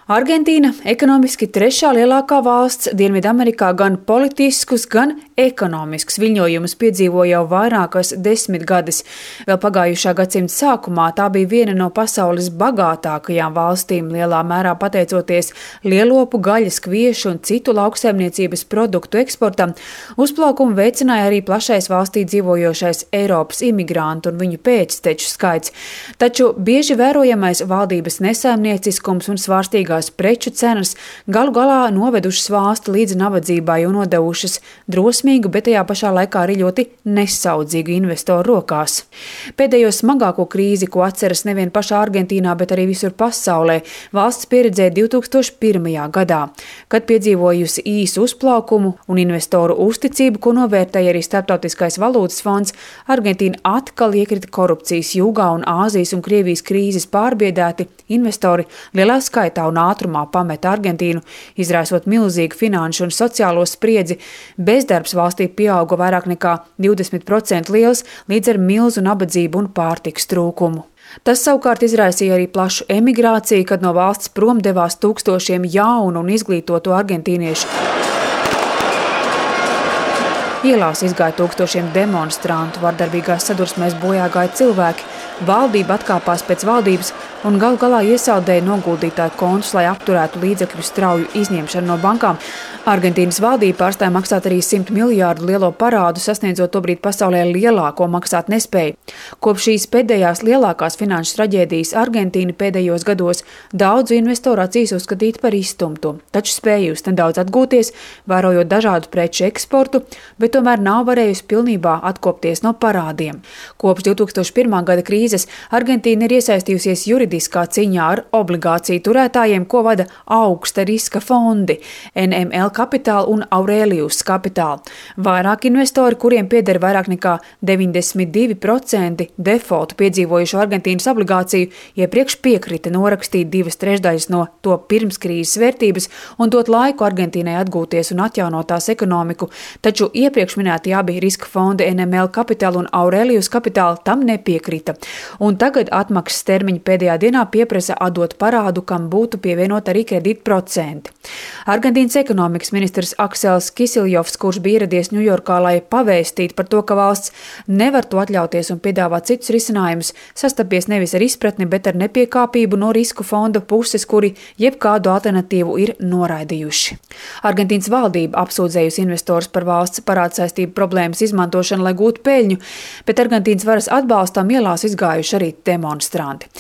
Argentīna ekonomiski trešā lielākā valsts Dienvidamerikā gan politiskus, gan ekonomiskus viļņojumus piedzīvo jau vairākas desmitgades. Vēl pagājušā gadsimta sākumā tā bija viena no pasaules bagātākajām valstīm, lielā mērā pateicoties lielopu, gaļas, kviešu un citu lauksaimniecības produktu eksportam. Uzplaukumu veicināja arī plašais valstī dzīvojošais Eiropas imigrantu un viņu pēcteču skaits. Taču bieži vērojamais valdības nesaimnieciskums un svārstīgā preču cenas galu galā novedušas valsti līdz nabadzībai un nodevušas drosmīgu, bet tajā pašā laikā arī ļoti nesaudzīgu investoru rokās. Pēdējo smagāko krīzi, ko atceras nevien pašā Argentīnā, bet arī visur pasaulē, valsts pieredzēja 2001. gadā, kad piedzīvojusi īsu uzplaukumu un investoru uzticību, ko novērtēja arī Starptautiskais valūtas fonds, Argentīna atkal iekrita korupcijas jūgā un Āzijas un Krievijas krīzes pārbiedēti investori lielā skaitā un ātrumā pameta Argentīnu, izraisot milzīgu finanšu un sociālo spriedzi. Bezdarbs valstī pieauga vairāk nekā 20% liels, līdz ar milzu nabadzību un pārtikas trūkumu. Tas savukārt izraisīja arī plašu emigrāciju, kad no valsts prom devās tūkstošiem jaunu un izglītotu argentīniešu. Ielās izgāja tūkstošiem demonstrantu, vardarbīgās sadursmēs bojā gāja cilvēki, valdība atkāpās pēc valdības un galu galā iesaldēja noguldītāju kontus, lai apturētu līdzekļu strauju izņemšanu no bankām. Argentīnas valdība pārstāja maksāt arī 100 miljārdu lielo parādu, sasniedzot tobrīd pasaulē lielāko maksāt nespēju. Kopš šīs pēdējās lielākās finanšu traģēdijas Argentīna pēdējos gados daudzu investoru acīs uzskatīt par izstumtu, taču spējusi nedaudz atgūties, vērojot dažādu preču eksportu, bet tomēr nav varējusi pilnībā atkopties no parādiem. Kopš 2001. gada krīzes Argentīna ir iesaistījusies juridiskā cīņā ar obligāciju turētājiem, ko vada augsta riska fondi NML Capital un Aurelius Capital. Vairāk investori, kuriem pieder vairāk nekā 92% defaultu piedzīvojušo Argentīnas obligāciju, iepriekš piekrita norakstīt 2/3 no to pirmskrīzes vērtības un dot laiku Argentīnai atgūties un atjaunot tās ekonomiku, taču iepriekš minēti abi riska fondi NML Capital un Aurelius Capital tam nepiekrita. Un tagad atmaksas termiņa pēdējā dienā pieprasa atdot parādu, kam būtu pievienot arī kredītprocenti. Argentīnas ekonomikas ministrs Aksels Kisiljovs, kurš bija ieradies Ņujorkā, lai pavēstītu par to, ka valsts nevar to atļauties un piedāvāt citus risinājumus, sastapies nevis ar izpratni, bet ar nepiekāpību no risku fonda puses, kuri jebkādu alternatīvu ir noraidījuši. Argentīnas valdība apsūdzējusi investorus par valsts parādsaistību problēmas izmantošanu, lai gūtu peļņu, bet Argentīnas varas atbalstam ielās izgājuši arī demonstranti.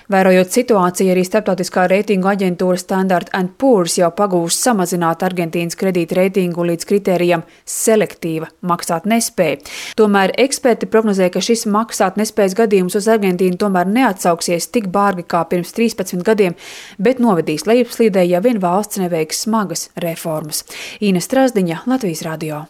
Vērojot situāciju, arī starptautiskā reitingu aģentūra Standard & Poor's jau pagūst samazināt Argentīnas kredīta reitingu līdz kritērijam selektīva maksāt nespēja. Tomēr eksperti prognozē, ka šis maksāt nespējas gadījums uz Argentīnu tomēr neatsauksies tik bārgi kā pirms 13 gadiem, bet novedīs lejupslīdē, ja vien valsts neveiks smagas reformas. Īna Strazdiņa, Latvijas radio.